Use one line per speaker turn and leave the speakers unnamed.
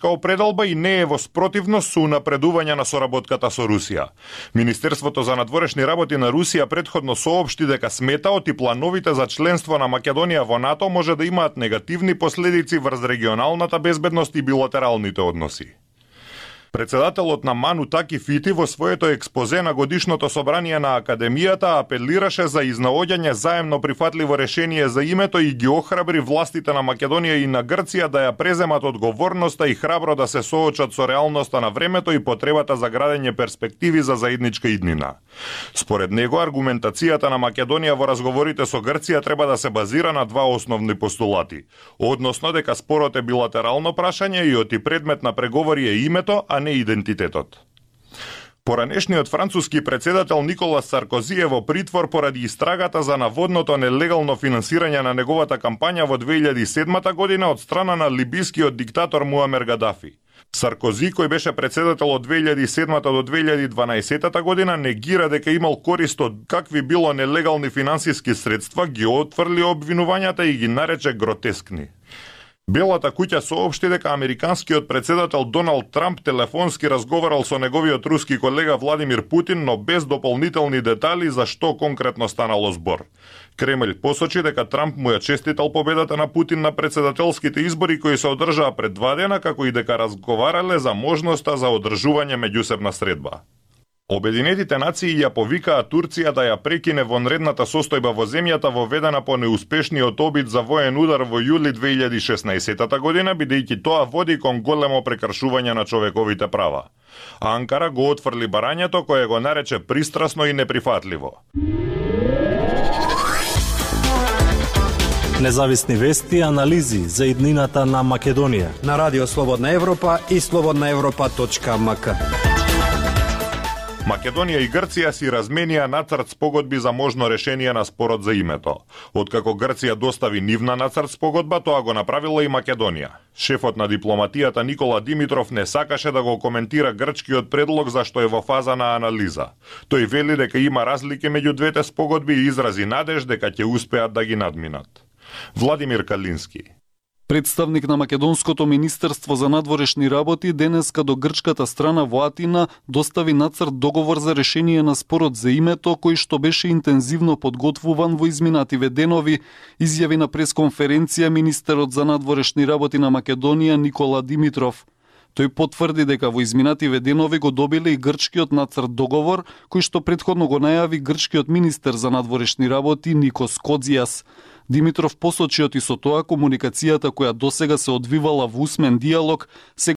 определба и не е во спротивност со унапредување на соработката со Русија. Министерството за надворешни работи на Русија претходно соопшти дека сметаот и плановите за членство на Македонија во НАТО може да имаат негативни последици врз регионалната безбедност и билатералните односи. Председателот на МАН Утаки Фити во своето експозе на годишното собрание на Академијата апелираше за изнаоѓање заемно прифатливо решение за името и ги охрабри властите на Македонија и на Грција да ја преземат одговорноста и храбро да се соочат со реалноста на времето и потребата за градење перспективи за заедничка иднина. Според него, аргументацијата на Македонија во разговорите со Грција треба да се базира на два основни постулати, односно дека спорот е билатерално прашање и оти предмет на преговори е името, а не идентитетот. Поранешниот француски председател Николас Саркози е во притвор поради истрагата за наводното нелегално финансирање на неговата кампања во 2007 година од страна на либискиот диктатор Муамер Гадафи. Саркози, кој беше председател од 2007 до 2012 година, негира дека имал корист од какви било нелегални финансиски средства, ги отфрли обвинувањата и ги нарече гротескни. Белата куќа соопшти дека американскиот председател Доналд Трамп телефонски разговарал со неговиот руски колега Владимир Путин, но без дополнителни детали за што конкретно станало збор. Кремљ посочи дека Трамп му ја честитал победата на Путин на председателските избори кои се одржаа пред 2 дена, како и дека разговарале за можноста за одржување меѓусебна средба. Обединетите нации ја повикаа Турција да ја прекине вонредната состојба во земјата воведена по неуспешниот обид за воен удар во јули 2016 година, бидејќи тоа води кон големо прекршување на човековите права. А Анкара го отфрли барањето кое го нарече пристрасно и неприфатливо.
Независни вести и анализи за иднината на Македонија
на Радио Слободна Европа и slobodnaevropa.mk.
Македонија и Грција си разменија нацрт спогодби за можно решение на спорот за името. Откако Грција достави нивна нацрт спогодба, тоа го направила и Македонија. Шефот на дипломатијата Никола Димитров не сакаше да го коментира грчкиот предлог зашто е во фаза на анализа. Тој вели дека има разлики меѓу двете спогодби и изрази надеж дека ќе успеат да ги надминат. Владимир Калински.
Представник на Македонското министерство за надворешни работи денеска до грчката страна во Атина достави нацрт договор за решение на спорот за името, кој што беше интензивно подготвуван во изминативе денови, изјави на пресконференција министерот за надворешни работи на Македонија Никола Димитров. Тој потврди дека во изминативе денови го добиле и грчкиот нацрт договор, кој што претходно го најави грчкиот министер за надворешни работи Никос Кодзијас. Димитров посочи оти со тоа комуникацијата која досега се одвивала во усмен диалог